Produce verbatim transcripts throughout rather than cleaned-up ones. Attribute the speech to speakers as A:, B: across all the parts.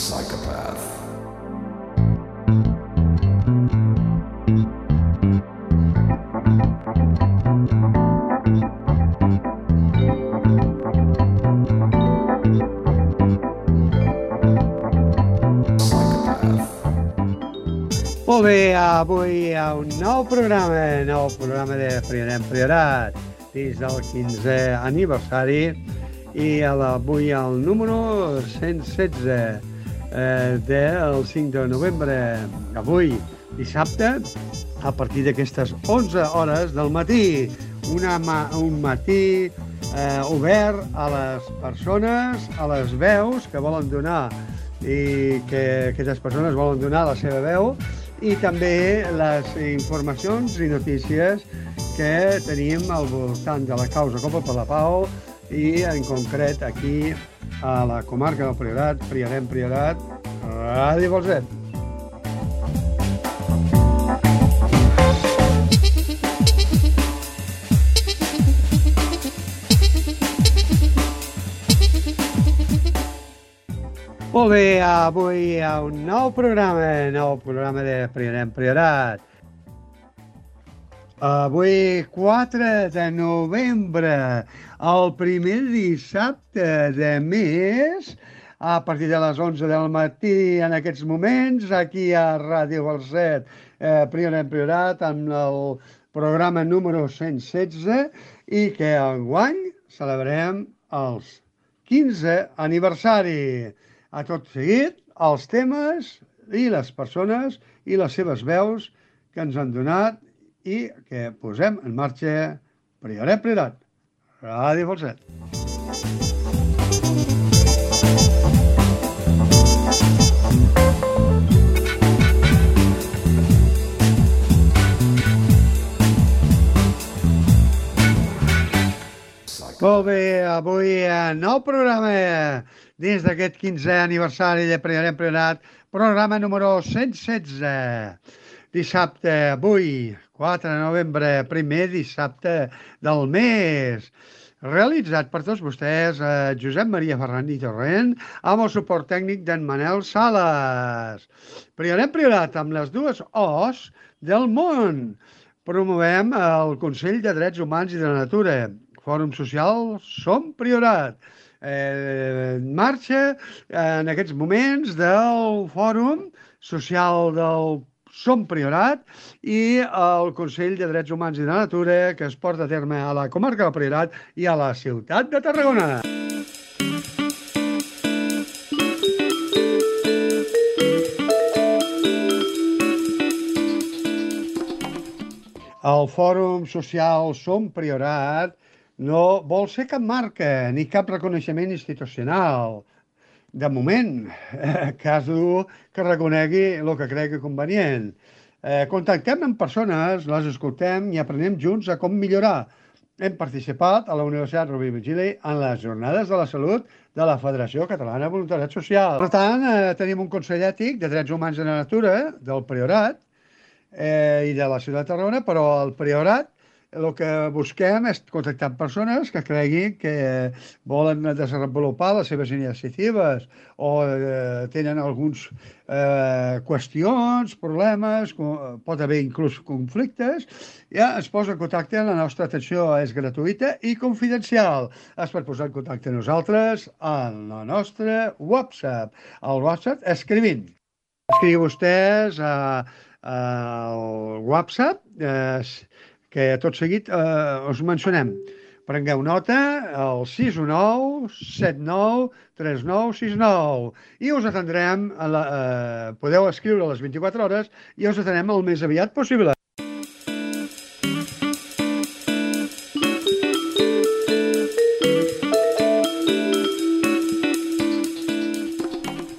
A: Psychopath.
B: Molt bé, avui hi ha un nou programa, nou programa de Priorat Priorat, dins del quinzè aniversari, i avui el número cent setze eh, del cinc de novembre. Avui, dissabte, a partir d'aquestes onze hores del matí, una ma un matí eh, obert a les persones, a les veus que volen donar i que aquestes persones volen donar la seva veu, i també les informacions i notícies que tenim al voltant de la causa Copa per la Pau i en concret aquí a la comarca del Priorat, Priorat Priorat, Ràdio Bolset. Molt bé, avui hi ha un nou programa, nou programa de Priorat Priorat. Avui, quatre de novembre, el primer dissabte de mes, a partir de les onze del matí, en aquests moments, aquí a Ràdio Bolset, eh, Priorat Priorat, amb el programa número cent setze, i que enguany celebrem els quinzè aniversari. A tot seguit, els temes i les persones i les seves veus que ens han donat i que posem en marxa Priorat Priorat, Ràdio Bolset. Molt bé, avui nou programa dins d'aquest quinzè aniversari de Priorat Priorat, programa número cent setze. Dissabte, avui, quatre de novembre, primer dissabte del mes. Realitzat per tots vostès, eh, Josep Maria Ferran i Torrent, amb el suport tècnic d'en Manel Sales. Priorat Priorat, amb les dues O's del món. Promovem el Consell de Drets Humans i de la Natura. Fòrum Social Som Priorat. Eh, en marxa en aquests moments del Fòrum Social del Som Priorat i el Consell de Drets Humans i de la Natura que es porta a terme a la comarca del Priorat i a la ciutat de Tarragona. El Fòrum Social Som Priorat no vol ser cap marca ni cap reconeixement institucional. De moment, eh, cas dur que reconegui el que cregui convenient. Eh, contactem amb persones, les escoltem i aprenem junts a com millorar. Hem participat a la Universitat Rovira i Virgili en les Jornades de la Salut de la Federació Catalana de Voluntariat Social. Per tant, eh, tenim un Consell Ètic de Drets Humans i de la Natura del Priorat eh, i de la ciutat de Tarragona, però el Priorat el que busquem és contactar amb persones que creguin que volen desenvolupar les seves iniciatives o eh, tenen alguns eh, qüestions, problemes, pot haver inclús conflictes, ja es posa en contacte, la nostra atenció és gratuïta i confidencial. Es pot posar en contacte amb nosaltres en la nostra WhatsApp. El WhatsApp escrivint. Escriu vostès al WhatsApp, eh, que tot seguit eh, us mencionem. Prengueu nota, el sis u nou set nou tres nou sis nou, i us atendrem, a la, eh, podeu escriure a les vint-i-quatre hores i us atendrem el més aviat possible.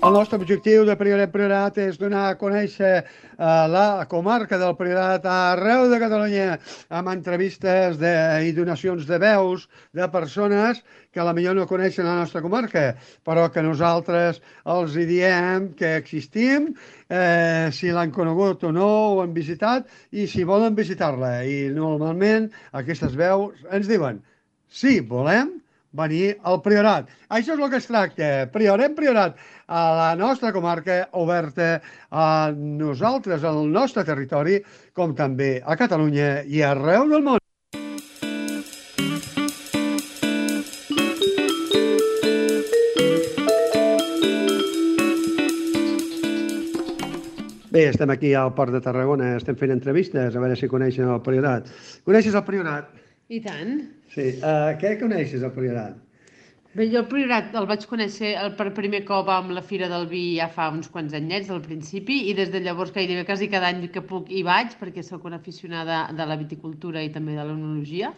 B: El nostre objectiu de Priorat Priorat és donar a conèixer la comarca del Priorat arreu de Catalunya amb entrevistes de, i donacions de veus de persones que potser no coneixen la nostra comarca, però que nosaltres els diem que existim, eh, si l'han conegut o no, o han visitat, i si volen visitar-la. I normalment aquestes veus ens diuen: sí, volem, venir al Priorat. Això és el que es tracta. Priorem Priorat a la nostra comarca, oberta a nosaltres, al nostre territori, com també a Catalunya i arreu del món. Bé, estem aquí al Port de Tarragona, estem fent entrevistes, a veure si coneixen el Priorat. Coneixes el Priorat?
A: I tant.
B: Sí. Uh, què coneixes, el Priorat?
A: Bé, jo el Priorat el vaig conèixer el per primer cop amb la Fira del Vi ja fa uns quants anyets, al principi, i des de llavors gairebé quasi cada any que puc hi vaig, perquè sóc una aficionada de la viticultura i també de l'enologia,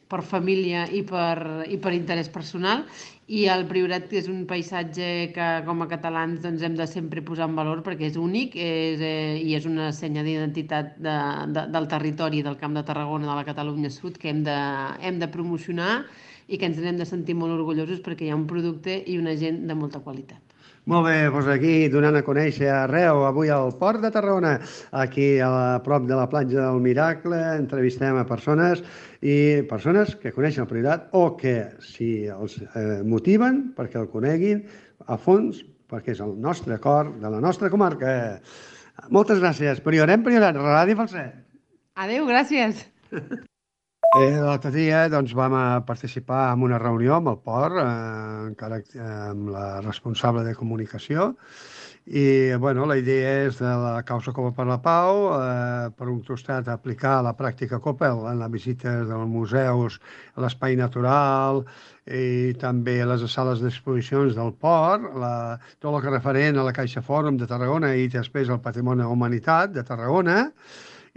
A: per família i per, i per interès personal. I el Priorat és un paisatge que com a catalans doncs, hem de sempre posar en valor perquè és únic és, eh, i és una senya d'identitat de, de, del territori del Camp de Tarragona, de la Catalunya Sud, que hem de, hem de promocionar i que ens n'hem de sentir molt orgullosos perquè hi ha un producte i una gent de molta qualitat.
B: Molt bé, doncs aquí donant a conèixer arreu, avui al Port de Tarragona, aquí a prop de la platja del Miracle, entrevistem a persones i persones que coneixen el Priorat o que si els eh, motiven perquè el coneguin a fons, perquè és el nostre cor de la nostra comarca. Moltes gràcies. Priorem Priorat, Ràdio Falset.
A: Adéu, gràcies.
B: Eh, L'altre dia doncs, vam a participar en una reunió amb el port, eh, encara eh, amb la responsable de comunicació, i bueno, la idea és de la causa Copa per la Pau, eh, per un costat aplicar la pràctica Coppel en les visites dels museus, a l'espai natural i també a les sales d'exposicions del port, la, tot el que referent a la Caixa Fòrum de Tarragona i després al Patrimoni de la Humanitat de Tarragona.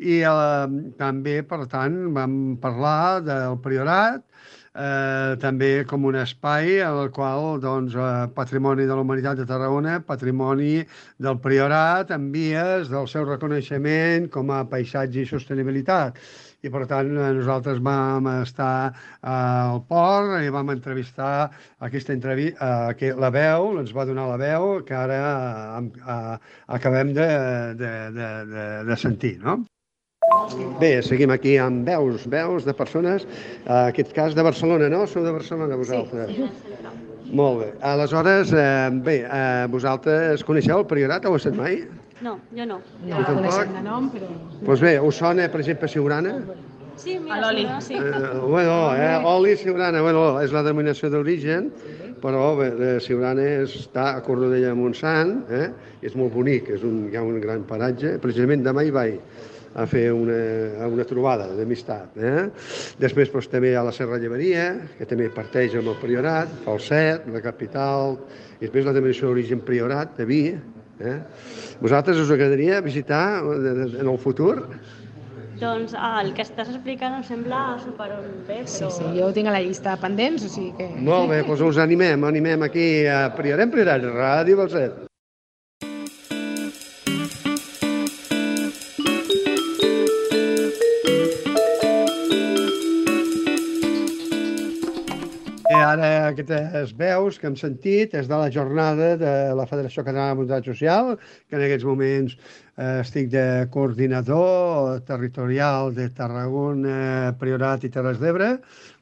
B: I eh, també, per tant, vam parlar del Priorat, eh, també com un espai en el qual doncs, eh, Patrimoni de la Humanitat de Tarragona, Patrimoni del Priorat, en vies del seu reconeixement com a paisatge i sostenibilitat. I, per tant, nosaltres vam estar al port i vam entrevistar aquesta entrevista, eh, la veu, ens va donar la veu que ara eh, eh, acabem de, de, de, de, de sentir, no? Bé, seguim aquí amb veus, veus de persones, en aquest cas de Barcelona, no? Sou de Barcelona, vosaltres? Sí. Molt bé. Aleshores, eh, bé, eh, vosaltres coneixeu el Priorat, heu estat mai?
C: No, jo no.
A: No el coneixem de nom, però...
B: Doncs bé, us sona, per exemple, Siurana?
C: Sí, mira, l'oli. Sí.
B: Eh, bueno, eh, oli Siurana, bueno, és la denominació d'origen, però bé, Siurana està a Cornudella de Montsant, eh? És molt bonic, és un, hi ha un gran paratge, precisament demà hi vaig a fer una, una trobada d'amistat. Eh? Després doncs, també hi ha la Serra Lleberia, que també parteix amb el Priorat, Falset, la capital, i després la denominació d'origen Priorat, de Vi. Eh? Vosaltres us agradaria visitar en el futur?
C: Doncs ah, el que estàs explicant em sembla superbé, però...
A: Sí, sí, jo ho tinc a la llista de pendents, o sigui que...
B: Molt bé, doncs us animem, animem aquí a Priorem Priorat, Ràdio Falset. Ara aquestes veus que hem sentit és de la jornada de la Federació Catalana de Voluntariat Social, que en aquests moments eh, estic de coordinador territorial de Tarragona, Priorat i Terres d'Ebre,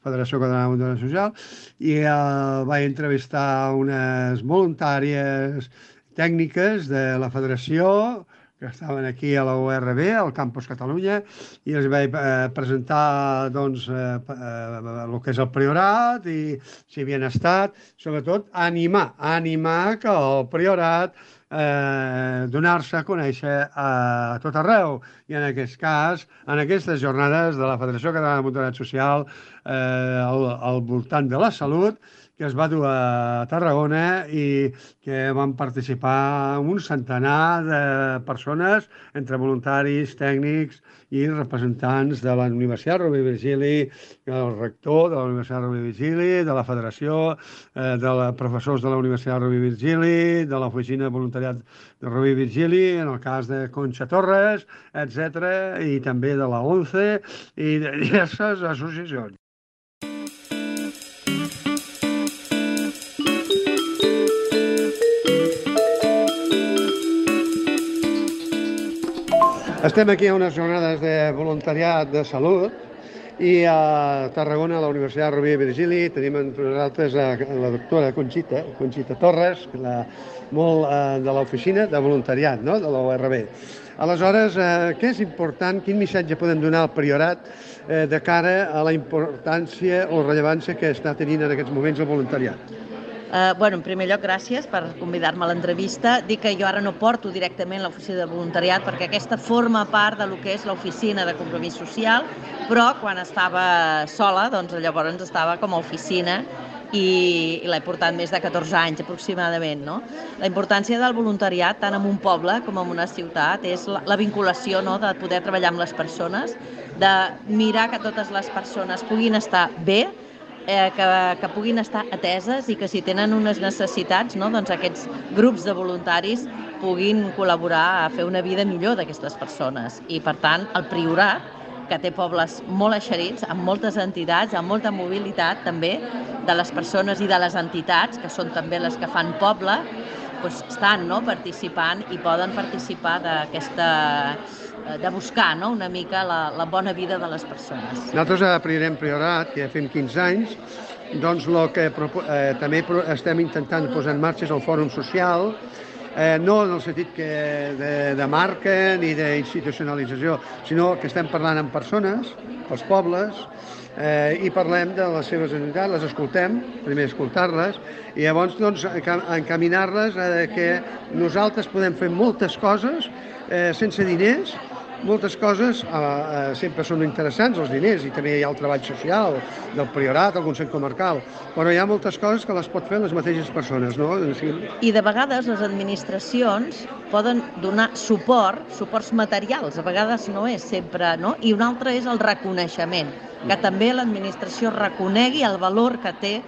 B: Federació Catalana de Voluntariat Social, i eh, vaig entrevistar unes voluntàries tècniques de la Federació que estaven aquí a la U R B, al Campus Catalunya, i els vaig eh, presentar doncs, eh, eh, el que és el Priorat i si havien estat, sobretot animar, animar que el Priorat eh, donar-se a conèixer a tot arreu. I en aquest cas, en aquestes jornades de la Federació Catalana de Voluntariat Social eh, al, al voltant de la salut, que es va dur a Tarragona i que van participar un centenar de persones, entre voluntaris, tècnics i representants de la Universitat Rovira i Virgili, el rector de la Universitat Rovira i Virgili, de la Federació, eh, de la, professors de la Universitat Rovira i Virgili, de l'Oficina de Voluntariat de Rovira i Virgili, en el cas de Conxa Torres, etcètera, i també de la ONCE i de diverses associacions. Estem aquí a unes jornades de voluntariat de salut I a Tarragona, a la Universitat Rovira i Virgili, tenim entre nosaltres la doctora Conxita, Conxita Torres, la, molt eh, de l'oficina de voluntariat, no?, de la U R B. Aleshores, eh, què és important, quin missatge podem donar al Priorat eh, de cara a la importància o rellevància que està tenint en aquests moments el voluntariat?
D: Uh, bueno, en primer lloc, gràcies per convidar-me a l'entrevista. Dic que jo ara no porto directament l'oficina de voluntariat perquè aquesta forma part de lo que és l'oficina de compromís social, però quan estava sola, doncs llavors estava com a oficina i, i l'he portat més de catorze anys aproximadament, no? La importància del voluntariat, tant en un poble com en una ciutat, és la, la vinculació, no?, de poder treballar amb les persones, de mirar que totes les persones puguin estar bé, Eh, que, que puguin estar ateses i que si tenen unes necessitats, no, doncs aquests grups de voluntaris puguin col·laborar a fer una vida millor d'aquestes persones. I per tant, el Priorat, que té pobles molt eixerits, amb moltes entitats, amb molta mobilitat també de les persones i de les entitats, que són també les que fan poble, doncs estan, no?, participant i poden participar d'aquesta, de buscar, no?, una mica la, la bona vida de les persones.
B: Nosaltres a Priorem Priorat, que ja fem quinze anys, doncs el que eh, també estem intentant posar en marxa és el Fòrum Social, eh, no en el sentit que de, de marca ni d'institucionalització, sinó que estem parlant amb persones, els pobles, eh, i parlem de les seves necessitats, les escoltem, primer escoltar-les, i llavors doncs, encaminar-les a que nosaltres podem fer moltes coses eh, sense diners. Moltes coses eh, eh, sempre són interessants, els diners, i també hi ha el treball social del Priorat, el Consell Comarcal, però hi ha moltes coses que les pot fer les mateixes persones, no?
D: I de vegades les administracions poden donar suport, suports materials, a vegades no és sempre, no? I un altre és el reconeixement, que també l'administració reconegui el valor que té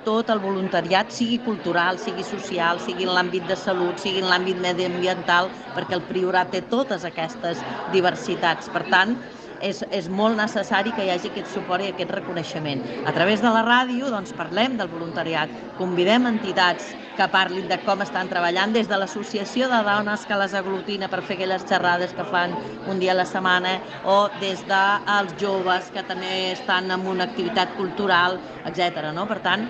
D: tot el voluntariat, sigui cultural, sigui social, sigui en l'àmbit de salut, sigui en l'àmbit mediambiental, perquè el Priorat té totes aquestes diversitats. Per tant, és, és molt necessari que hi hagi aquest suport i aquest reconeixement. A través de la ràdio doncs, parlem del voluntariat, convidem entitats que parlin de com estan treballant, des de l'associació de dones que les aglutina per fer aquelles xerrades que fan un dia a la setmana, o des dels joves que també estan en una activitat cultural, etcètera. No? Per tant,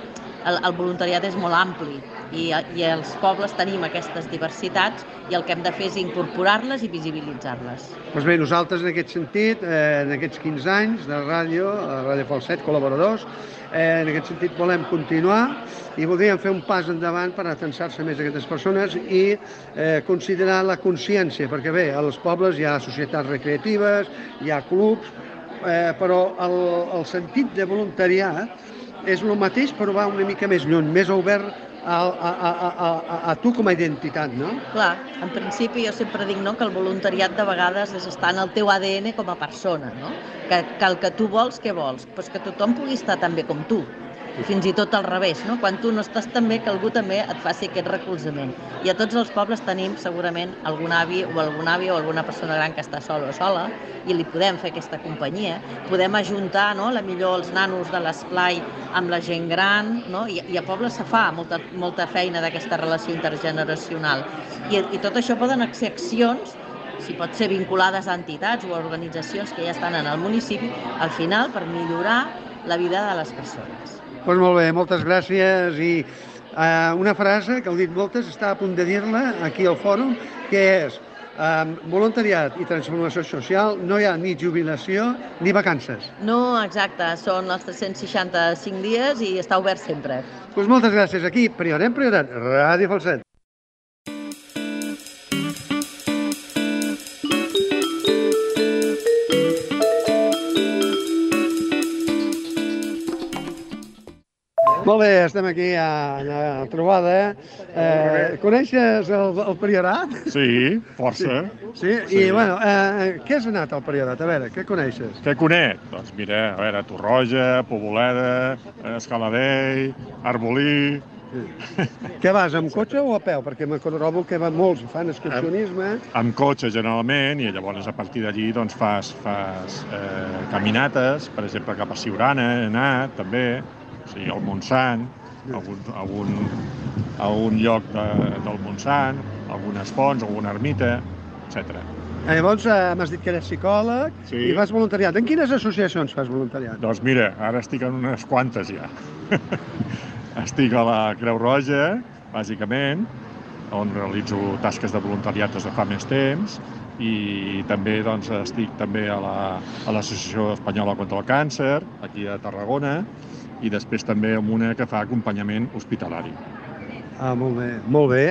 D: el, el voluntariat és molt ampli i, i els pobles tenim aquestes diversitats i el que hem de fer és incorporar-les i visibilitzar-les.
B: Doncs bé, nosaltres en aquest sentit, eh, en aquests quinze anys de ràdio, Ràdio Falset, col·laboradors, eh, en aquest sentit volem continuar i voldríem fer un pas endavant per atensar-se més a aquestes persones i eh, considerar la consciència, perquè bé, als pobles hi ha societats recreatives, hi ha clubs, eh, però el, el sentit de voluntariat és el mateix però va una mica més lluny, més obert a, a, a, a, a, a tu com a identitat, no?
D: Clar, en principi jo sempre dic no, que el voluntariat de vegades és estar en el teu A D N com a persona, no? Que, que el que tu vols, què vols? Pues que tothom pugui estar tan bé com tu. I fins i tot al revés, no? Quan tu no estàs tan bé, que algú també et faci aquest recolzament. I a tots els pobles tenim segurament algun avi o algun avi o alguna persona gran que està sola o sola i li podem fer aquesta companyia. Podem ajuntar, no? La millor els nanos de l'esplai amb la gent gran, no? I, i a pobles se fa molta, molta feina d'aquesta relació intergeneracional. I, I tot això poden ser accions, si pot ser vinculades a entitats o a organitzacions que ja estan en el municipi, al final per millorar la vida de les persones.
B: Doncs molt bé, moltes gràcies i eh, una frase que heu dit moltes, està a punt de dir-la aquí al fòrum, que és eh, voluntariat i transformació social, no hi ha ni jubilació ni vacances.
D: No, exacte, són els tres-cents seixanta-cinc dies i està obert sempre.
B: Doncs moltes gràcies, aquí, Priorem Priorat, Ràdio Falset. Molt bé, estem aquí a la trobada. Eh, coneixes el, el Priorat?
E: Sí, força.
B: Sí, sí?
E: Sí.
B: I bueno, eh, què has anat al Priorat? A veure, què coneixes?
E: Què conec? Doncs mira, a veure, Torroja, Poboleda, Escaladell, Arbolí...
B: Sí. Què vas, amb cotxe o a peu? Perquè me trobo que van molts, fan excursionisme.
E: Amb cotxe, generalment, i llavors a partir d'allí doncs, fas, fas eh, caminates, per exemple, cap a Siurana he anat, també, o sigui, al Montsant, algun, algun, algun lloc de, del Montsant, algunes fonts, alguna ermita, etcètera.
B: Llavors, m'has dit que eres psicòleg i fas voluntariat. En quines associacions fas voluntariat?
E: Doncs mira, ara estic en unes quantes ja. Estic a la Creu Roja, bàsicament, on realitzo tasques de voluntariat des de fa més temps, i també doncs, estic també a l'Associació Espanyola contra el Càncer, aquí a Tarragona, i després també amb una que fa acompanyament hospitalari.
B: Ah, molt bé, molt bé.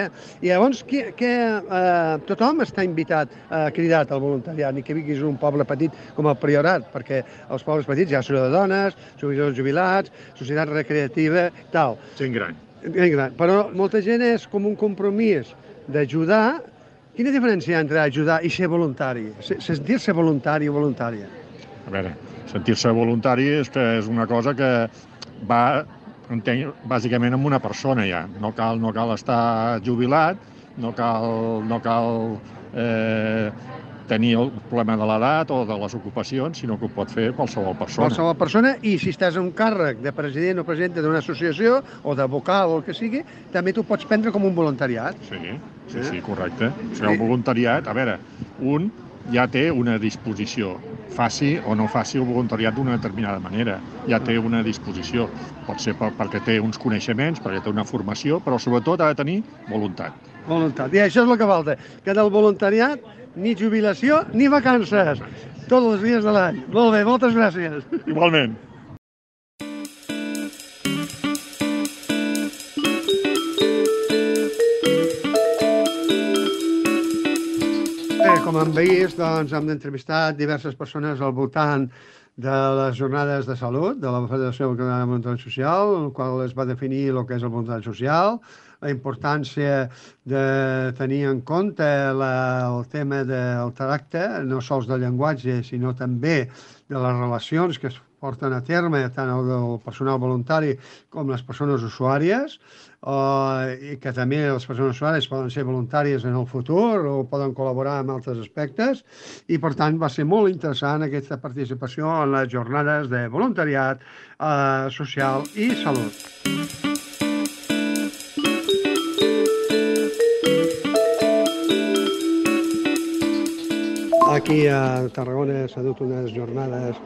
B: I llavors, que, que, eh, tothom està invitat, eh, cridat al voluntariat, ni que vinguis un poble petit com el Priorat, perquè els pobles petits hi ha associació de dones, associació de jubilats, societat recreativa, tal.
E: Gent gran.
B: Gent gran. Però molta gent és com un compromís d'ajudar. Quina diferència hi ha entre ajudar i ser voluntari? Sentir-se voluntari o voluntària?
E: A veure, sentir-se voluntari és que és una cosa que va, entenc, bàsicament amb una persona ja. No cal, no cal estar jubilat, no cal, no cal eh, tenir el problema de l'edat o de les ocupacions, sinó que ho pot fer qualsevol persona.
B: Qualsevol persona, i si estàs en un càrrec de president o presidenta d'una associació o de vocal o el que sigui, també t'ho pots prendre com un voluntariat.
E: Sí, sí, sí, correcte. O sigui, el voluntariat, a veure, un ja té una disposició, faci o no faci el voluntariat d'una determinada manera, ja té una disposició. Pot ser perquè té uns coneixements, perquè té una formació, però sobretot ha de tenir voluntat.
B: Voluntat. I això és el que falta, que del voluntariat ni jubilació ni vacances, tots els dies de l'any. Molt bé, moltes gràcies.
E: Igualment.
B: Bé, com hem vist, doncs, hem entrevistat diverses persones al voltant de les jornades de salut de la Federació Catalana de Voluntariat Social, en el qual es va definir el que és el voluntariat social, la importància de tenir en compte la, el tema del tracte, no sols del llenguatge, sinó també de les relacions que es porten a terme, tant el del personal voluntari com les persones usuàries, eh, i que també les persones usuàries poden ser voluntàries en el futur o poden col·laborar en altres aspectes, i per tant va ser molt interessant aquesta participació en les jornades de voluntariat eh, social i salut. Aquí a Tarragona s'ha dut unes jornades,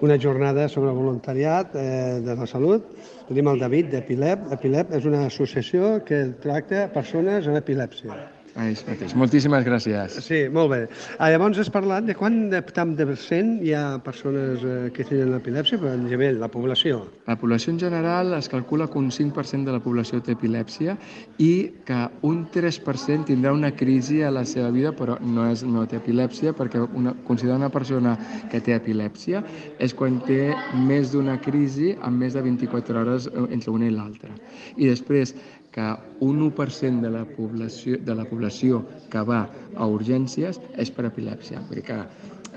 B: una jornada sobre voluntariat eh, de la salut. Tenim el David d'Epilep. Epilep és una associació que tracta persones amb epilèpsia.
F: Això mateix. Moltíssimes gràcies.
B: Sí, molt bé. Ah, llavors has parlat de quant de, tant de percent hi ha persones eh, que tenen epilèpsia, però en nivell, la població.
F: La població en general es calcula que un cinc per cent de la població té epilèpsia i que un tres per cent tindrà una crisi a la seva vida, però no, és, no té epilèpsia, perquè una, considerar una persona que té epilèpsia és quan té més d'una crisi en més de vint-i-quatre hores entre una i l'altra. I després, que un u per cent de la població, de la població que va a urgències és per epilèpsia. Vull dir que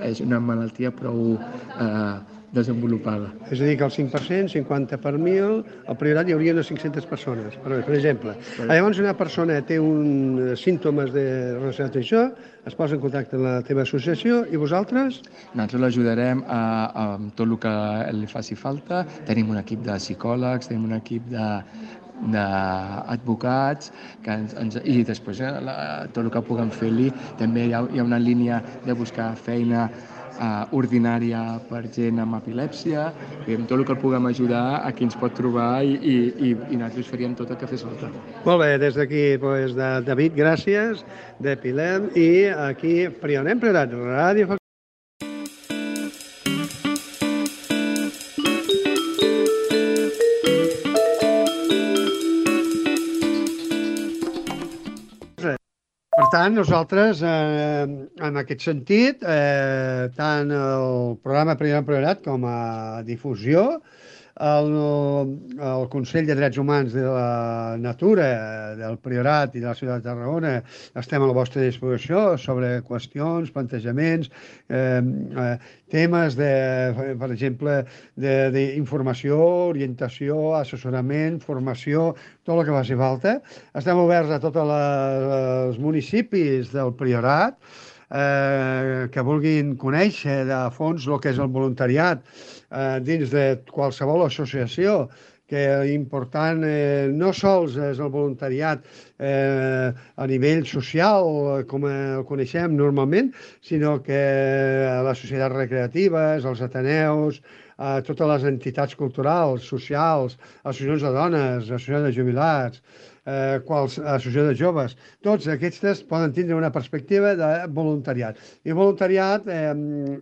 F: és una malaltia prou eh, desenvolupada.
B: És a dir, que el cinc per cent, cinquanta per mil, al Priorat hi hauria unes cinc-centes persones, per, per exemple. Sí. Llavors, una persona té uns símptomes de relacionats amb això, es posa en contacte amb la teva associació, i vosaltres?
F: Nosaltres l'ajudarem a, a tot el que li faci falta. Tenim un equip de psicòlegs, tenim un equip de d'advocats que ens, ens, i després la, tot el que puguem fer-li. També hi ha, hi ha una línia de buscar feina eh, ordinària per gent amb epilèpsia, i amb tot el que el puguem ajudar, aquí ens pot trobar i, i, i, i nosaltres faríem tot el que fes falta.
B: Molt bé, des d'aquí, doncs, de David, gràcies, d'Epilep, i aquí Priorat, Priorat, Ràdio. Per tant, nosaltres, eh, en aquest sentit, eh, tant el programa Priorat Priorat com a difusió, el, el Consell de Drets Humans de la Natura del Priorat i de la ciutat de Tarragona estem a la vostra disposició sobre qüestions, plantejaments, eh, eh, temes, de, per exemple, d'informació, orientació, assessorament, formació, tot el que faci falta. Estem oberts a tots els municipis del Priorat eh, que vulguin conèixer de fons el que és el voluntariat eh, dins de qualsevol associació que l'important eh, no sols és el voluntariat eh, a nivell social, com el coneixem normalment, sinó que les societats recreatives, els ateneus, eh, totes les entitats culturals, socials, associacions de dones, associacions de jubilats, eh, quals, associació de joves, tots aquests poden tindre una perspectiva de voluntariat. I voluntariat eh,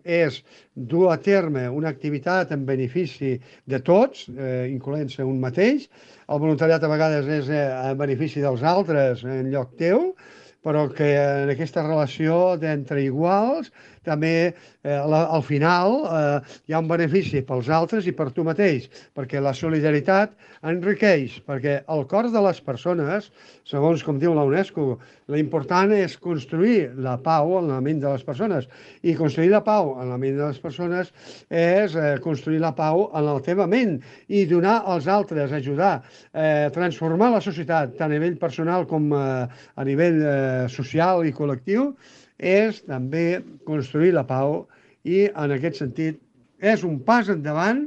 B: és dur a terme una activitat en benefici de tots, eh, incloent-se un mateix. El voluntariat a vegades és eh, en benefici dels altres en lloc teu, però que en aquesta relació d'entre iguals també eh, la, al final eh, hi ha un benefici pels altres i per tu mateix, perquè la solidaritat enriqueix, perquè el cor de les persones, segons com diu la UNESCO, l'important és construir la pau en la ment de les persones, i construir la pau en la ment de les persones és eh, construir la pau en la teva ment i donar als altres, ajudar, eh, transformar la societat tant a nivell personal com eh, a nivell eh, social i col·lectiu, és també construir la pau, i en aquest sentit és un pas endavant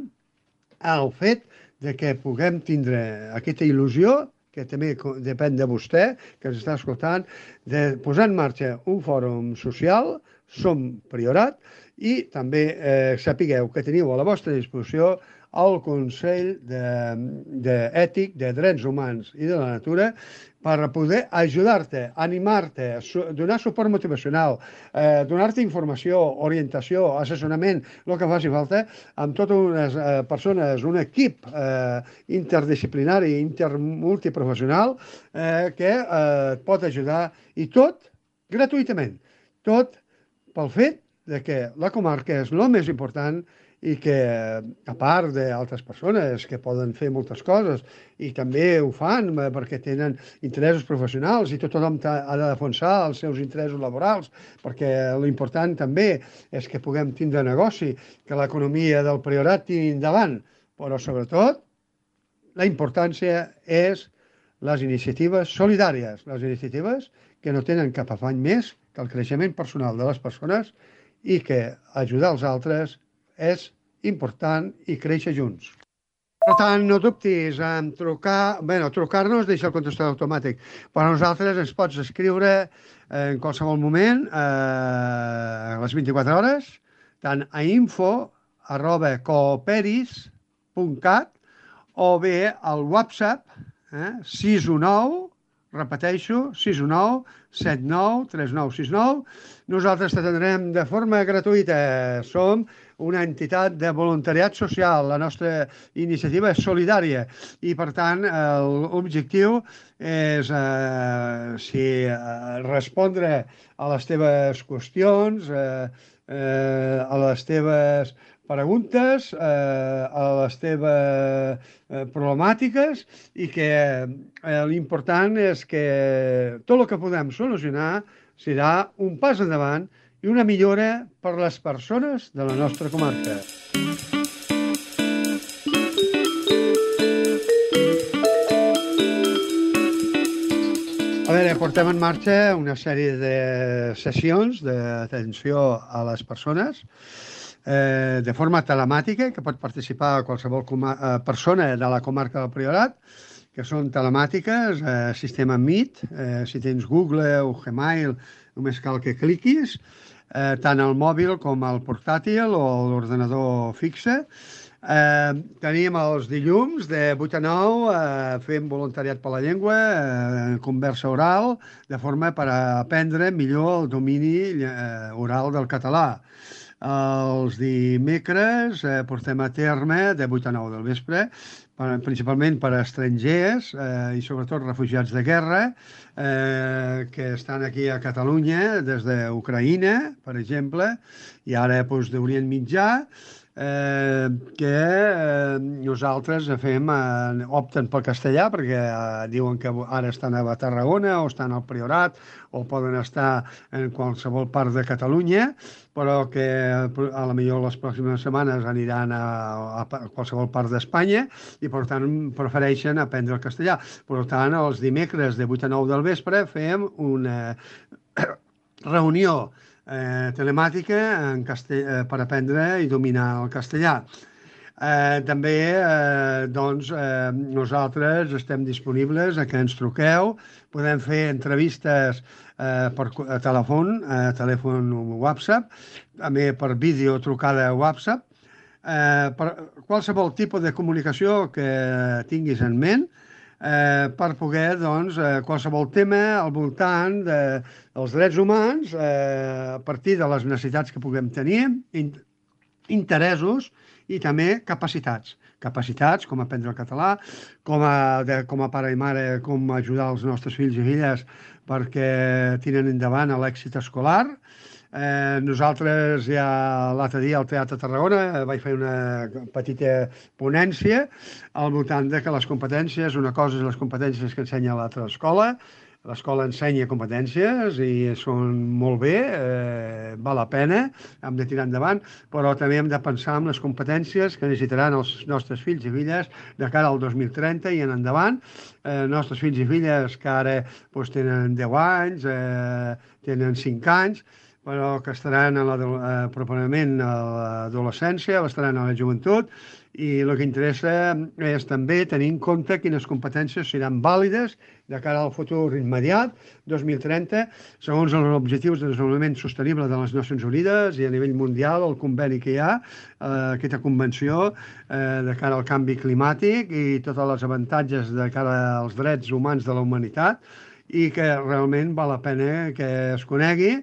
B: el fet de que puguem tindre aquesta il·lusió, que també depèn de vostè, que ens està escoltant, de posar en marxa un fòrum social, Som Priorat, i també eh, sapigueu que teniu a la vostra disposició el Consell d'Ètic, de, de Drets Humans i de la Natura, per poder ajudar-te, animar-te, su donar suport motivacional, eh, donar-te informació, orientació, assessorament, el que faci falta, amb totes unes eh, persones, un equip eh, interdisciplinari, intermultiprofessional, eh, que eh, et pot ajudar, i tot gratuïtament, tot pel fet de que la comarca és el més important, i que, a part d'altres persones que poden fer moltes coses i també ho fan perquè tenen interessos professionals, i tothom ha de defensar els seus interessos laborals, perquè l'important també és que puguem tindre negoci, que l'economia del Priorat tiri endavant, però sobretot la importància és les iniciatives solidàries, les iniciatives que no tenen cap afany més que el creixement personal de les persones, i que ajudar els altres és important i créixer junts. Per tant, no dubtis en trucar, bé, trucar-nos, deixa el contestador automàtic, però a nosaltres ens pots escriure en qualsevol moment, eh, a les vint-i-quatre hores, tant a info arroba cooperis punt cat o bé al WhatsApp, eh, sis u nou, repeteixo, sis u nou, set nou, tres nou sis nou. Nosaltres t'atendrem de forma gratuïta. Som una entitat de voluntariat social. La nostra iniciativa és solidària i, per tant, l'objectiu és eh, si, eh, respondre a les teves qüestions, eh, eh, a les teves preguntes, eh, a les teves eh, problemàtiques, i que eh, l'important és que tot el que podem solucionar serà un pas endavant i una millora per a les persones de la nostra comarca. A veure, portem en marxa una sèrie de sessions d'atenció a les persones eh, de forma telemàtica, que pot participar qualsevol eh, persona de la comarca del Priorat, que són telemàtiques, eh, sistema Meet, eh, si tens Google o Gmail, només cal que cliquis, eh, tant al mòbil com al portàtil o a l'ordenador fixe. Eh, tenim els dilluns de vuit a nou, eh, fem voluntariat per la llengua, eh, conversa oral, de forma per aprendre millor el domini eh, oral del català. Els dimecres eh, portem a terme de vuit a nou del vespre, per, principalment per a estrangers eh, i sobretot refugiats de guerra eh, que estan aquí a Catalunya des d'Ucraïna, per exemple, i ara doncs, d'Orient Mitjà, eh, que eh, nosaltres fem, eh, opten pel castellà perquè eh, diuen que ara estan a Tarragona o estan al Priorat o poden estar en qualsevol part de Catalunya, però que a la millor les pròximes setmanes aniran a, a qualsevol part d'Espanya i per tant prefereixen aprendre el castellà. Per tant, els dimecres de vuit a nou del vespre fem una reunió eh, telemàtica en castell, eh, per aprendre i dominar el castellà. Eh, també eh, doncs, eh, nosaltres estem disponibles a que ens truqueu, podem fer entrevistes eh, per co- a telèfon, a telèfon WhatsApp, també per vídeo trucada a WhatsApp, eh, per qualsevol tipus de comunicació que tinguis en ment, eh, per poder, doncs, eh, qualsevol tema al voltant de, dels drets humans, eh, a partir de les necessitats que puguem tenir, in, interessos i també capacitats. Capacitats, com aprendre el català, com a, de, com a pare i mare, com ajudar els nostres fills i filles perquè tiren endavant l'èxit escolar. Eh, nosaltres ja l'altre dia al Teatre Tarragona vaig fer una petita ponència al voltant de que les competències, una cosa és les competències que ensenya l'altra escola, l'escola ensenya competències i són molt bé, eh, val la pena, hem de tirar endavant, però també hem de pensar en les competències que necessitaran els nostres fills i filles de cara al dos mil trenta i en endavant. Eh, nostres fills i filles que ara doncs, tenen deu anys, eh, tenen cinc anys, però que estaran a la, eh, properament a l'adolescència, estaran a la joventut, i el que interessa és també tenir en compte quines competències seran vàlides de cara al futur immediat, dos mil trenta, segons els objectius de desenvolupament sostenible de les Nacions Unides i a nivell mundial, el conveni que hi ha, eh, aquesta convenció eh, de cara al canvi climàtic i tots els avantatges de cara als drets humans de la humanitat, i que realment val la pena que es conegui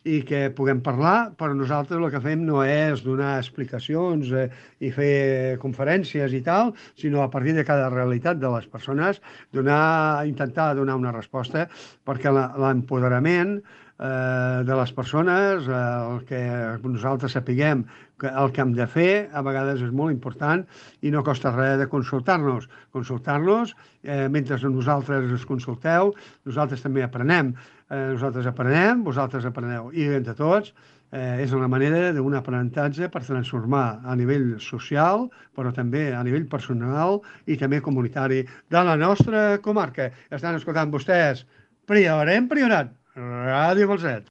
B: i que puguem parlar, però nosaltres el que fem no és donar explicacions eh, i fer conferències i tal, sinó a partir de cada realitat de les persones donar, intentar donar una resposta, perquè l'empoderament eh, de les persones, eh, el que nosaltres sapiguem que el que hem de fer, a vegades és molt important i no costa res de consultar-nos. Consultar-nos, eh, mentre nosaltres us consulteu, nosaltres també aprenem. Eh, nosaltres aprenem, vosaltres apreneu. I entre tots eh, és una manera d'un aprenentatge per transformar a nivell social, però també a nivell personal i també comunitari de la nostra comarca. Estan escoltant vostès Priorem Priorat, Ràdio Balset.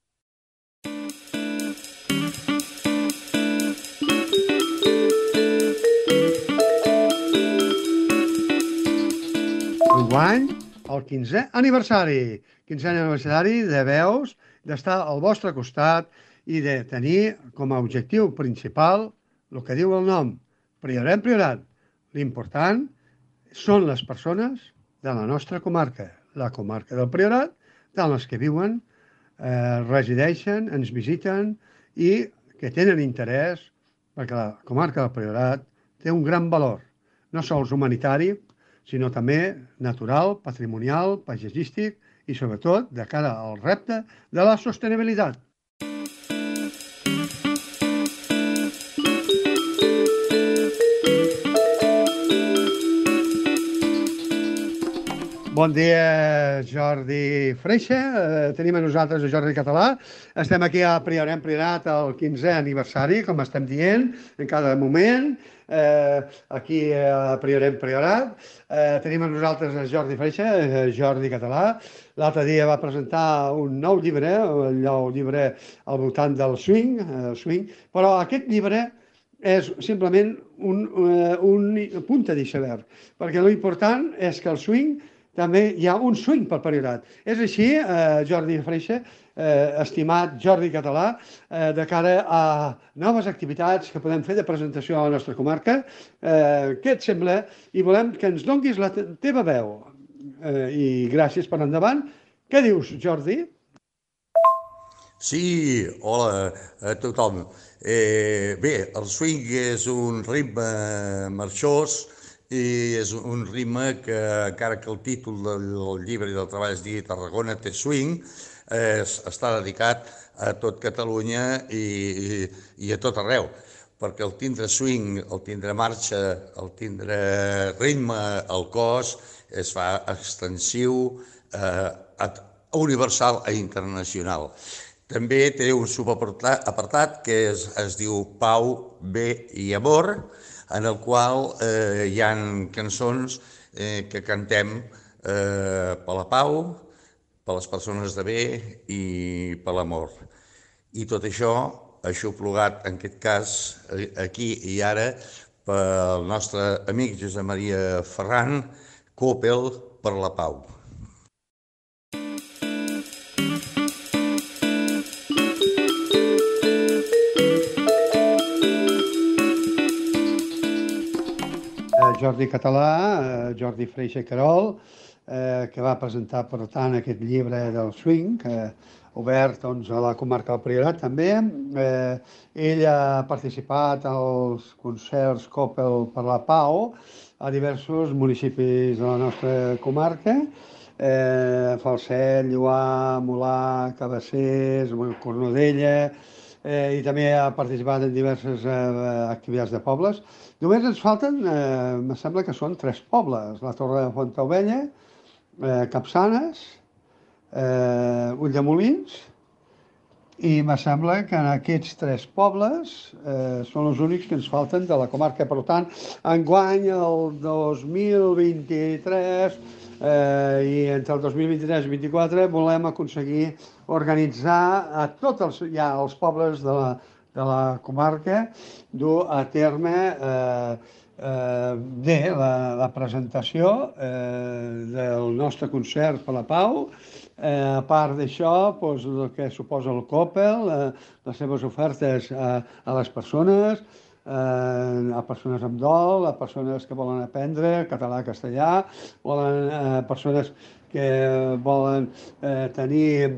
B: Enguany, el quinzè aniversari. quinzè aniversari de veus, d'estar al vostre costat i de tenir com a objectiu principal el que diu el nom, Priorem Priorat. L'important són les persones de la nostra comarca, la comarca del Priorat, tant les que viuen, eh, resideixen, ens visiten i que tenen interès, perquè la comarca del Priorat té un gran valor, no sols humanitari, sinó també natural, patrimonial, paisatgístic i, sobretot, de cara al repte de la sostenibilitat. Bon dia, Jordi Freixa. Eh, tenim a nosaltres a Jordi Català. Estem aquí a Priorem Priorat al quinzè aniversari, com estem dient, en cada moment. Eh, aquí a Priorem Priorat. Eh, tenim a nosaltres a Jordi Freixa, eh, Jordi Català. L'altre dia va presentar un nou llibre, el nou llibre al voltant del swing, eh, swing, però aquest llibre és simplement un, uh, un punta d'iceberg, perquè l'important és que el swing també hi ha un swing pel Priorat. És així, eh, Jordi Freixa, eh, estimat Jordi Català, eh, de cara a noves activitats que podem fer de presentació a la nostra comarca. Eh, què et sembla? I volem que ens donguis la te teva veu. Eh, I gràcies per endavant. Què dius, Jordi?
G: Sí, hola a tothom. Eh, bé, el swing és un ritme marxós i és un ritme que, encara que el títol del llibre i del treball es digui Tarragona té swing, eh, està dedicat a tot Catalunya i, i, i a tot arreu, perquè el tindre swing, el tindre marxa, el tindre ritme al cos es fa extensiu, eh, universal i internacional. També té un subapartat que es, es diu Pau, Bé i Amor, en el qual eh, hi ha cançons eh, que cantem eh, per la pau, per les persones de bé i per l'amor. I tot això aixoplugat, en aquest cas, aquí i ara, pel nostre amic Josep Maria Ferran, Coppel per la Pau.
B: Jordi Català, Jordi Freixa i Querol, eh, que va presentar, per tant, aquest llibre del swing, eh, obert doncs, a la comarca del Priorat també. Eh, ell ha participat als concerts Coppel per la Pau a diversos municipis de la nostra comarca, eh, Falset, Lloar, Molar, Cabassers, Cornudella, eh, i també ha participat en diverses eh, activitats de pobles. Només ens falten, eh, em sembla que són tres pobles, la Torre de Fontaubella, eh, Capçanes, eh, Ulldemolins, i me sembla que en aquests tres pobles eh, són els únics que ens falten de la comarca. Per tant, enguany, el dos mil vint-i-tres eh, i entre el dos mil vint-i-tres i vint-i-quatre volem aconseguir organitzar a tots els, ja, els pobles de la, de la comarca, dur a terme eh, eh, bé, la, la presentació eh, del nostre concert per la Pau. Eh, a part d'això, doncs, el que suposa el Coppel, eh, les seves ofertes a, a les persones, eh, a persones amb dol, a persones que volen aprendre català-castellà, volen eh, persones que volen eh, tenir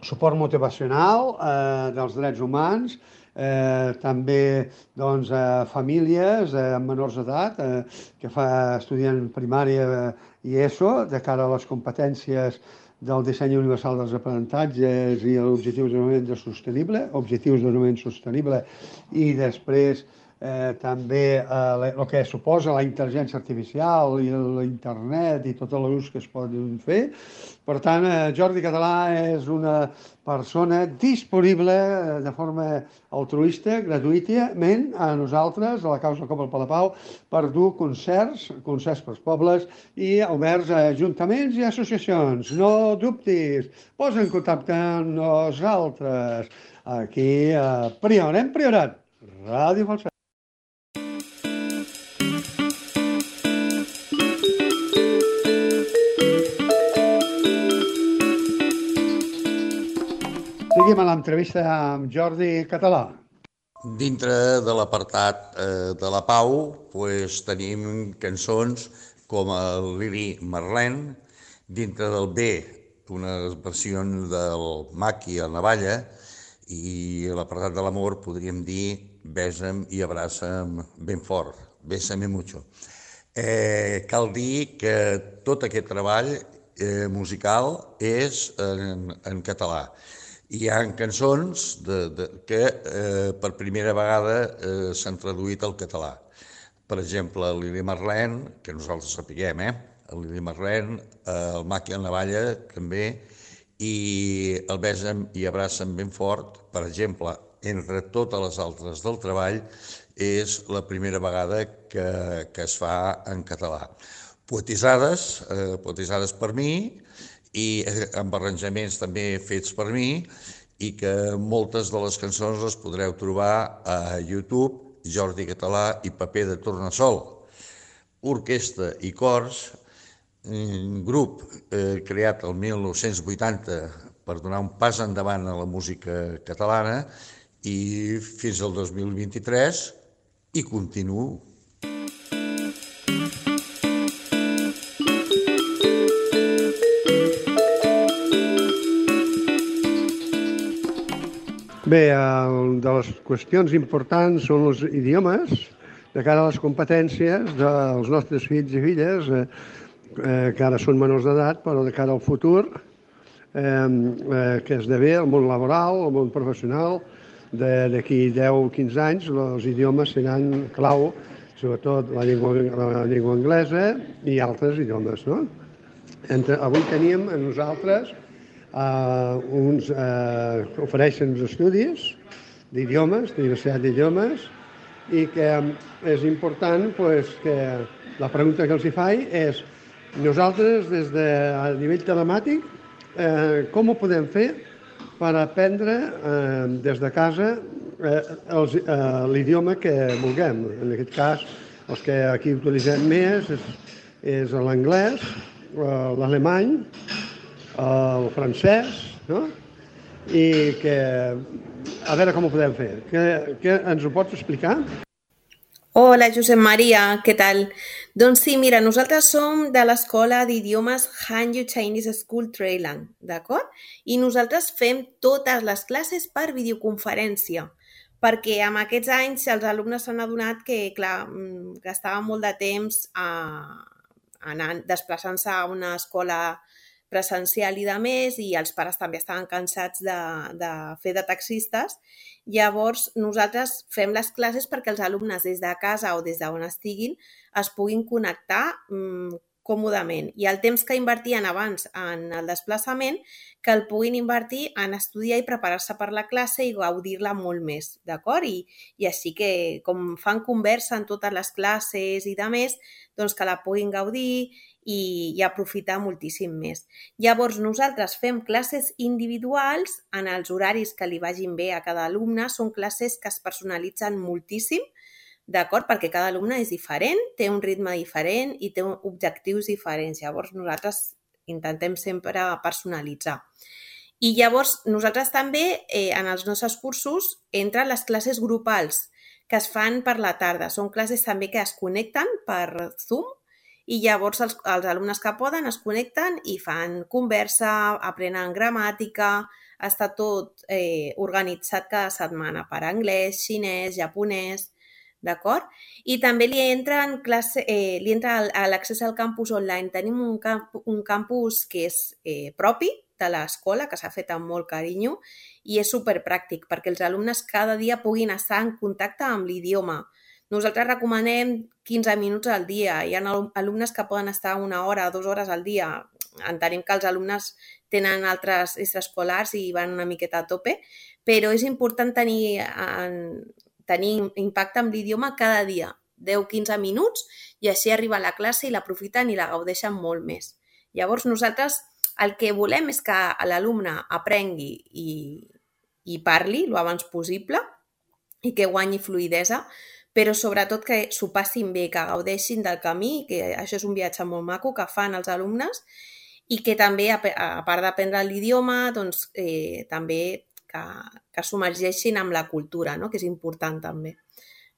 B: suport motivacional eh, dels drets humans, eh, també doncs, eh, famílies eh, amb menors d'edat eh, que fa, estudien primària i ESO de cara a les competències del disseny universal dels aprenentatges i els objectius de desenvolupament sostenible, objectius de desenvolupament sostenible, i després eh, també eh, el que suposa la intel·ligència artificial i l'internet i tot l'ús que es poden fer. Per tant, eh, Jordi Català és una persona disponible de forma altruista, gratuïtament, a nosaltres, a la causa Coppel per la Pau, per dur concerts, concerts pels pobles i oberts a ajuntaments i associacions. No dubtis, posa en contacte amb nosaltres. Aquí a Priorat, hem Priorat, Ràdio Falset. Seguim a l'entrevista amb Jordi Català.
G: Dintre de l'apartat eh, de la Pau pues, tenim cançons com el Lili Marlèn, dintre del B unes versions del Maqui a Navalla, i a l'apartat de l'amor podríem dir Besa'm i abraça'm ben fort, Bésame mucho. Eh, cal dir que tot aquest treball eh, musical és en, en català. Hi ha cançons de, de, que eh, per primera vegada eh, s'han traduït al català. Per exemple, el Lili Marlèn, que nosaltres sapiguem, eh? el Lili Marlèn, eh, el Maqui a Navalla també, i el Besa'm i abraça'm ben fort, per exemple, entre totes les altres del treball, és la primera vegada que, que es fa en català. Poetisades, eh, poetisades per mi, i amb arranjaments també fets per mi, i que moltes de les cançons les podreu trobar a YouTube, Jordi Català i Paper de Tornassol. Orquestra i cors, un grup eh, creat el mil nou-cents vuitanta per donar un pas endavant a la música catalana, i fins al dos mil vint-i-tres hi continuo.
B: Bé, el, de les qüestions importants són els idiomes, de cara a les competències dels nostres fills i filles, eh, eh, que ara són menors d'edat, però de cara al futur, eh, eh, que esdevé el món laboral, el món professional, d'aquí deu o quinze anys, els idiomes seran clau, sobretot la llengua, la llengua anglesa i altres idiomes, no? Entre, avui teníem a nosaltres Uh, uns uh, ofereixen uns estudis d'idiomes, de diversitat d'idiomes, i que és important pues, que la pregunta que els hi faig és: nosaltres, des de a nivell telemàtic, eh, com ho podem fer per aprendre eh, des de casa l'idioma que vulguem. En aquest cas, els que aquí utilitzem més és, és l'anglès, l'alemany, el francès, no? I que a veure com ho podem fer. Que, que ens ho pots explicar?
H: Hola, Josep Maria, què tal? Doncs sí, mira, nosaltres som de l'escola d'idiomes Hanyu Chinese School Trailang, d'acord? I nosaltres fem totes les classes per videoconferència, perquè amb aquests anys els alumnes s'han adonat que, clar, gastaven molt de temps a, anant, desplaçant-se a una escola presencial i de més, i els pares també estaven cansats de, de fer de taxistes. Llavors, nosaltres fem les classes perquè els alumnes des de casa o des d'on estiguin es puguin connectar mmm, còmodament. I el temps que invertien abans en el desplaçament, que el puguin invertir en estudiar i preparar-se per la classe i gaudir-la molt més, d'acord? I, I així que, com fan conversa en totes les classes i de més, doncs que la puguin gaudir i, i aprofitar moltíssim més. Llavors, nosaltres fem classes individuals en els horaris que li vagin bé a cada alumne. Són classes que es personalitzen moltíssim, d'acord? Perquè cada alumne és diferent, té un ritme diferent i té objectius diferents. Llavors, nosaltres intentem sempre personalitzar. I llavors, nosaltres també, eh, en els nostres cursos, entren les classes grupals que es fan per la tarda. Són classes també que es connecten per Zoom, i llavors els, els alumnes que poden es connecten i fan conversa, aprenen gramàtica, està tot eh, organitzat cada setmana per anglès, xinès, japonès, d'acord? I també li entra, en classe, eh, li entra l'accés al campus online. Tenim un, camp, un campus que és eh, propi de l'escola, que s'ha fet amb molt carinyo, i és superpràctic perquè els alumnes cada dia puguin estar en contacte amb l'idioma. Nosaltres recomanem quinze minuts al dia. Hi ha alumnes que poden estar una hora, dues hores al dia. Entenem que els alumnes tenen altres extraescolars i van una miqueta a tope, però és important tenir, en, tenir impacte amb l'idioma cada dia, deu a quinze minuts, i així arriba a la classe i l'aprofiten i la gaudeixen molt més. Llavors, nosaltres el que volem és que l'alumne aprengui i, i parli el abans possible i que guanyi fluïdesa, però sobretot que s'ho passin bé, que gaudeixin del camí, que això és un viatge molt maco que fan els alumnes, i que també, a part d'aprendre l'idioma, doncs, eh, també que, que submergeixin amb la cultura, no? Que és important també.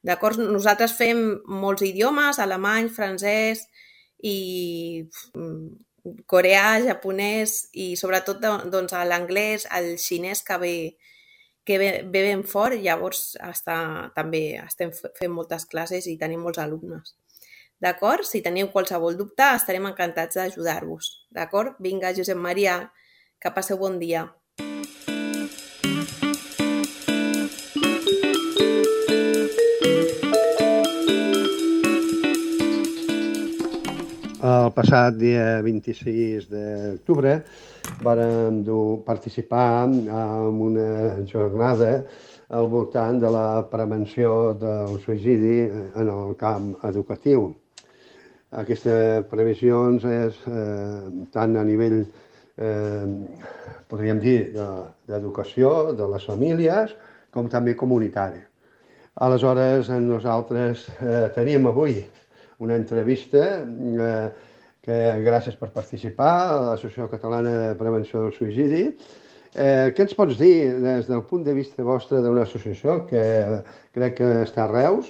H: D'acord? Nosaltres fem molts idiomes, alemany, francès i coreà, japonès i sobretot doncs, l'anglès, el xinès que ve que ve, ve ben fort, llavors està, també estem fent moltes classes i tenim molts alumnes. D'acord? Si teniu qualsevol dubte, estarem encantats d'ajudar-vos. D'acord? Vinga, Josep Maria, que passeu bon dia.
B: El passat dia vint-i-sis d'octubre vàrem participar en una jornada al voltant de la prevenció del suïcidi en el camp educatiu. Aquestes previsions és eh, tant a nivell, eh, podríem dir, d'educació, de les famílies, com també comunitari. Aleshores, nosaltres eh, tenim avui una entrevista eh, que gràcies per participar a l'Associació Catalana de Prevenció del Suïcidi. Eh, què ens pots dir des del punt de vista vostre d'una associació que crec que està a Reus,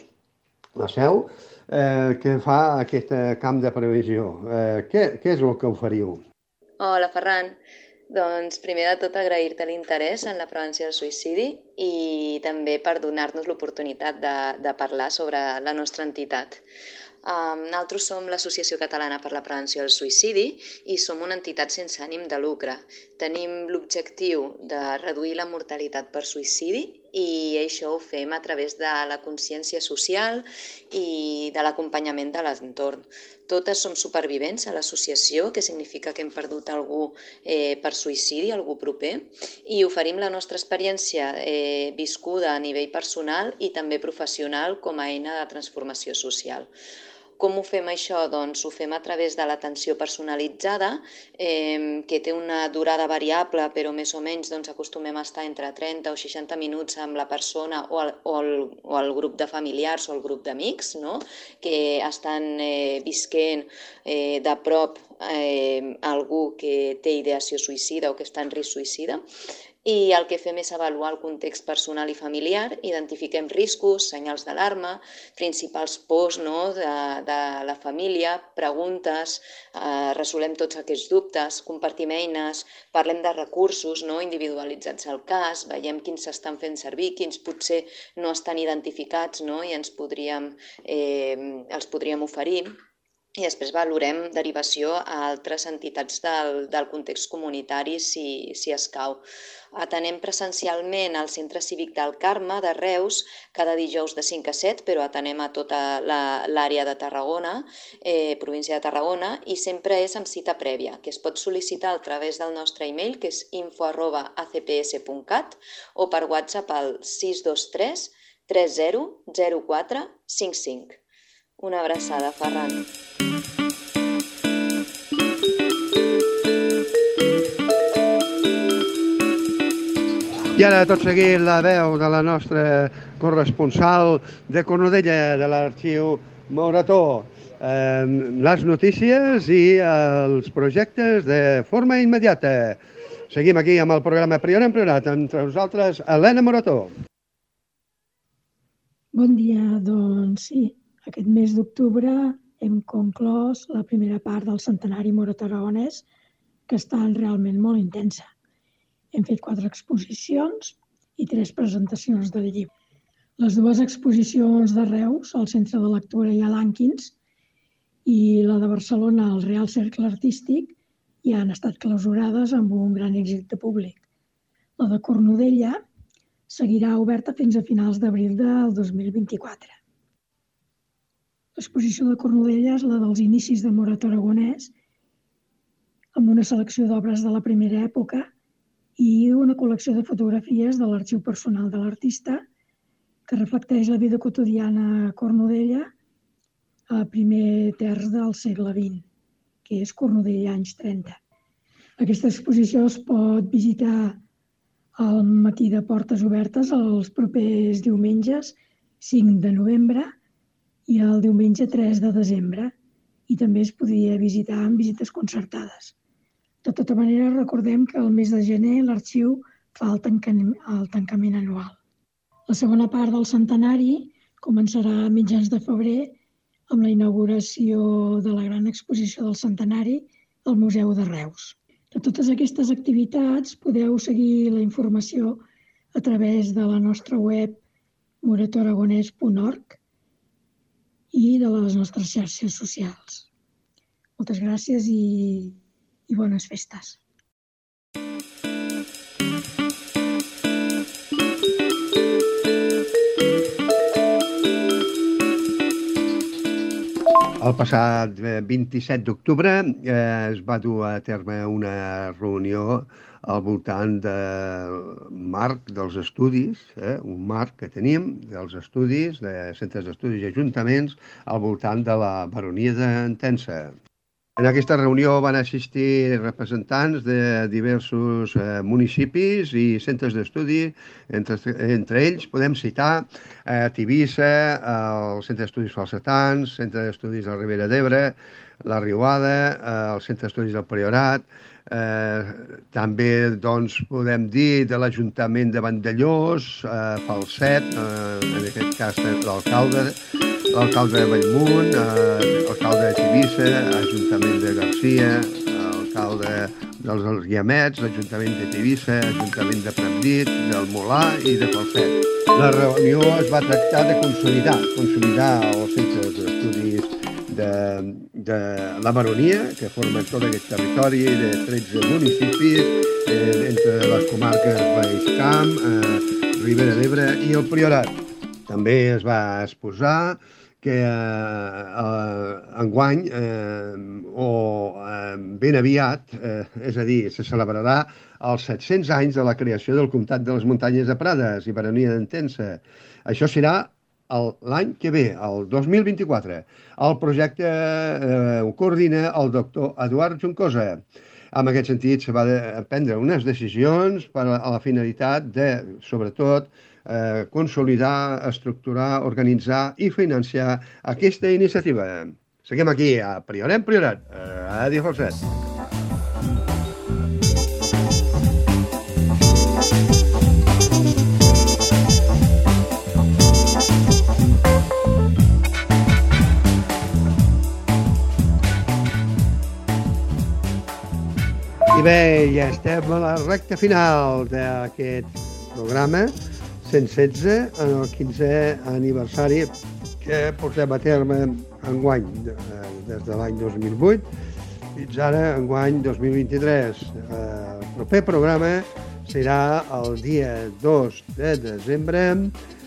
B: la seu, eh, que fa aquest camp de previsió? Eh, què, què és el que oferiu?
I: Hola, Ferran. Doncs primer de tot agrair-te l'interès en la prevenció del suïcidi i també per donar-nos l'oportunitat de, de parlar sobre la nostra entitat. Um, nosaltres som l'Associació Catalana per la Prevenció del Suïcidi i som una entitat sense ànim de lucre. Tenim l'objectiu de reduir la mortalitat per suïcidi i això ho fem a través de la consciència social i de l'acompanyament de l'entorn. Totes som supervivents a l'associació, que significa que hem perdut algú eh, per suïcidi, algú proper, i oferim la nostra experiència eh, viscuda a nivell personal i també professional com a eina de transformació social. com ho fem això? Doncs ho fem a través de l'atenció personalitzada, eh, que té una durada variable, però més o menys doncs, acostumem a estar entre trenta o seixanta minuts amb la persona o el, o el, o el grup de familiars o el grup d'amics, no? Que estan eh, visquent eh, de prop eh, algú que té ideació suïcida o que està en risc suïcida. I el que fem és avaluar el context personal i familiar, identifiquem riscos, senyals d'alarma, principals pors, no, de, de la família, preguntes, eh, resolem tots aquests dubtes, compartim eines, parlem de recursos, no, individualitzats al cas, veiem quins s'estan fent servir, quins potser no estan identificats, no, i ens podríem, eh, els podríem oferir. I després valorem derivació a altres entitats del, del context comunitari si, si escau. Atenem presencialment al Centre Cívic del Carme de Reus cada dijous de cinc a set, però atenem a tota l'àrea de Tarragona, eh, província de Tarragona, i sempre és amb cita prèvia, que es pot sol·licitar a través del nostre e-mail, que és info arroba a c p s punt cat, o per WhatsApp al sis dos tres tres zero zero quatre cinc cinc. Una abraçada, Ferran.
B: I ara, tot seguit, la veu de la nostra corresponsal de Cornudella, de l'Arxiu Morató. Eh, les notícies i els projectes de forma immediata. Seguim aquí amb el programa Priorat en Priorat. Entre nosaltres, Helena Morató.
J: Bon dia, doncs sí. Aquest mes d'octubre hem conclòs la primera part del centenari morató-aragonès, que està realment molt intensa. Hem fet quatre exposicions i tres presentacions del llibre. Les dues exposicions de Reus, al Centre de Lectura i a l'Ànquins, i la de Barcelona, al Real Cercle Artístic, ja han estat clausurades amb un gran èxit de públic. La de Cornudella seguirà oberta fins a finals d'abril del dos mil vint-i-quatre. L'exposició de Cornudella és la dels inicis del morató aragonès, amb una selecció d'obres de la primera època i una col·lecció de fotografies de l'arxiu personal de l'artista que reflecteix la vida quotidiana a Cornudella a primer terç del segle vint, que és Cornudella anys trenta. Aquesta exposició es pot visitar al matí de portes obertes els propers diumenges cinc de novembre i el diumenge tres de desembre, i també es podia visitar amb visites concertades. De tota manera, recordem que el mes de gener l'arxiu fa el tancament, el tancament anual. La segona part del centenari començarà a mitjans de febrer amb la inauguració de la gran exposició del centenari al Museu de Reus. De totes aquestes activitats podeu seguir la informació a través de la nostra web morató aragonès punt org i de les nostres xarxes socials. Moltes gràcies i, i bones festes.
B: El passat vint-i-set d'octubre eh, es va dur a terme una reunió al voltant del marc dels estudis, eh, un marc que tenim dels estudis, de centres d'estudis i ajuntaments, al voltant de la baronia d'Entença. En aquesta reunió van assistir representants de diversos eh, municipis i centres d'estudi. Entre, entre ells podem citar eh, Tivissa, el Centre d'Estudis Falsetans, Centre d'Estudis de la Ribera d'Ebre, la Riuada, eh, el Centre d'Estudis del Priorat. Eh, també doncs, podem dir de l'Ajuntament de Vandellós, eh, Falset, eh, en aquest cas l'alcalde, l'alcalde de Bellmunt, eh, l'alcalde de Tivissa, l'Ajuntament de Garcia, l'alcalde dels Guiamets, l'Ajuntament de Tivissa, l'Ajuntament de Pratdip, del Molà i de Falset. La reunió es va tractar de consolidar, consolidar els centres d'estudis de, de la baronia, que formen tot aquest territori de tretze municipis, eh, entre les comarques Baix Camp, eh, Ribera d'Ebre i el Priorat. També es va exposar que eh, eh, enguany eh, o eh, ben aviat, eh, és a dir, se celebrarà els set-cents anys de la creació del Comtat de les Muntanyes de Prades i Baronia d'Entença. Això serà l'any que ve, el dos mil vint-i-quatre. El projecte eh, ho coordina el doctor Eduard Juncosa. En aquest sentit, se va prendre unes decisions per a la finalitat de, sobretot, eh, consolidar, estructurar, organitzar i financiar aquesta iniciativa. Seguim aquí, a Priorem Priorat, a Ràdio Falset. I bé, ja estem a la recta final d'aquest programa cent setze, en el quinzè aniversari que portem a terme enguany, des de l'any dos mil vuit fins ara enguany dos mil vint-i-tres. El proper programa serà el dia dos de desembre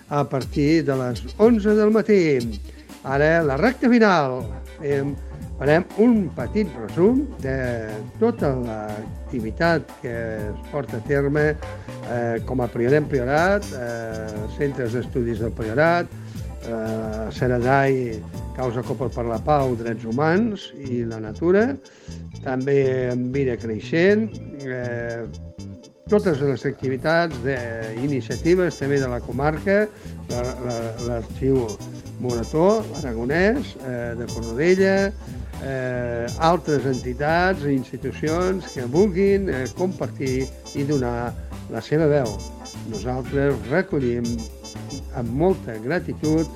B: a partir de les onze del matí. Ara, la recta final. Fem Farem un petit resum de tota l'activitat que es porta a terme eh, com a Priorem Priorat, eh, centres d'estudis del Priorat, eh, Seradai, Causa Copa per la Pau, Drets Humans i la Natura, també en Vida Creixent, eh, totes les activitats d'iniciatives també de la comarca, l'Arxiu Morató, l'Aragonès, eh, de Cornudella, eh, altres entitats i institucions que vulguin eh, compartir i donar la seva veu. Nosaltres recollim amb molta gratitud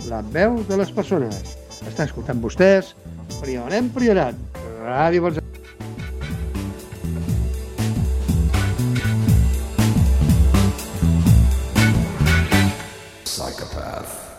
B: la veu de les persones. Està escoltant vostès Priorem Priorat, Ràdio Falset.
K: Psychopath.